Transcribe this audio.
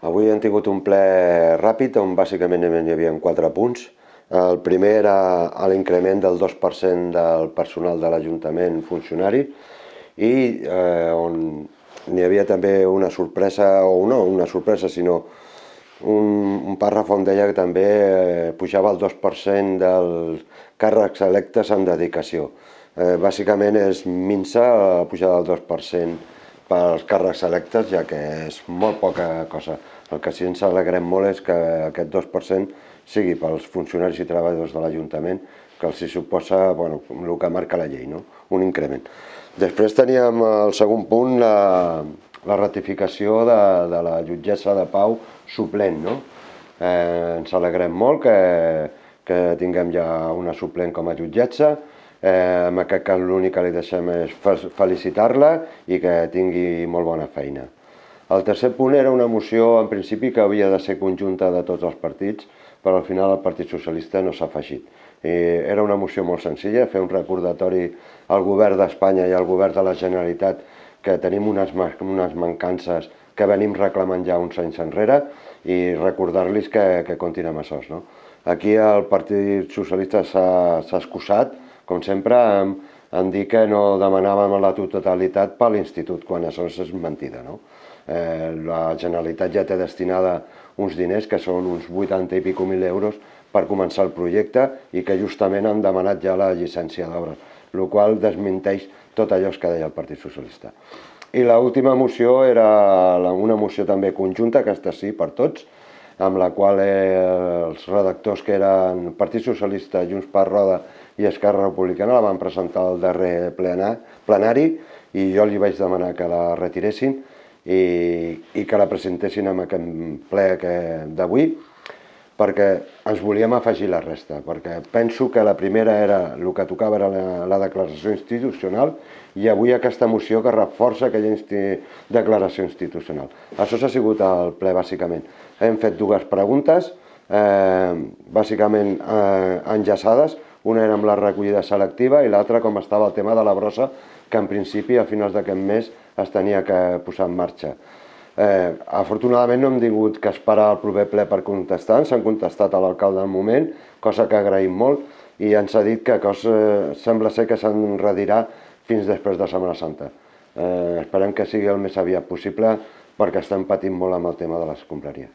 Avui hem tingut un ple ràpid on bàsicament hi havia 4 punts. El primer era l'increment del 2% del personal de l'Ajuntament funcionari i on n'hi havia també una sorpresa, o no una sorpresa, sinó un pàrraf on deia que també pujava el 2% dels càrrecs electes en dedicació. Bàsicament és minsa la pujada del 2% pels càrrecs electes, ja que és molt poca cosa. El que sí ens alegrem molt és que aquest 2% sigui pels funcionaris i treballadors de l'Ajuntament, que els suposa el que marca la llei, un increment. Després teníem el segon punt, la ratificació de la jutgessa de pau suplent. Ens alegrem molt que tinguem ja una suplent com a jutgessa. En aquest cas l'únic que li deixem és felicitar-la i que tingui molt bona feina. El tercer punt era una moció, en principi, que havia de ser conjunta de tots els partits, però al final el Partit Socialista no s'ha afegit. Era una moció molt senzilla, fer un recordatori al govern d'Espanya i al govern de la Generalitat que tenim unes mancances que venim reclamant ja uns anys enrere i recordar-los que comptin amb això. Aquí el Partit Socialista s'ha excusat, com sempre, en dir que no demanàvem la totalitat per l'Institut, quan això és mentida. La Generalitat ja té destinada uns diners, que són uns 80 i escaig mil euros, per començar el projecte i que justament han demanat ja la llicència d'obres, el qual desmenteix tot allò que deia el Partit Socialista. I l'última moció era una moció també conjunta, aquesta sí, per tots, amb la qual els redactors, que eren Partit Socialista, Junts per Roda i Esquerra Republicana, la van presentar al darrer plenari i jo li vaig demanar que la retiressin i que la presentessin en aquest ple d'avui, perquè ens volíem afegir la resta, perquè penso que la primera era el que tocava, era la declaració institucional, i avui aquesta moció que reforça aquella declaració institucional. Això ha sigut el ple, bàsicament. Hem fet dues preguntes, bàsicament enllaçades. Una era amb la recollida selectiva i l'altra com estava el tema de la brossa, que en principi a finals d'aquest mes es tenia que posar en marxa. Afortunadament no hem tingut que esperar el proper ple per contestar, ens han contestat a l'alcalde al moment, cosa que agraïm molt, i ens ha dit que sembla ser que s'enredirà fins després de Setmana Santa. Esperem que sigui el més aviat possible perquè estem patint molt amb el tema de les escombraries.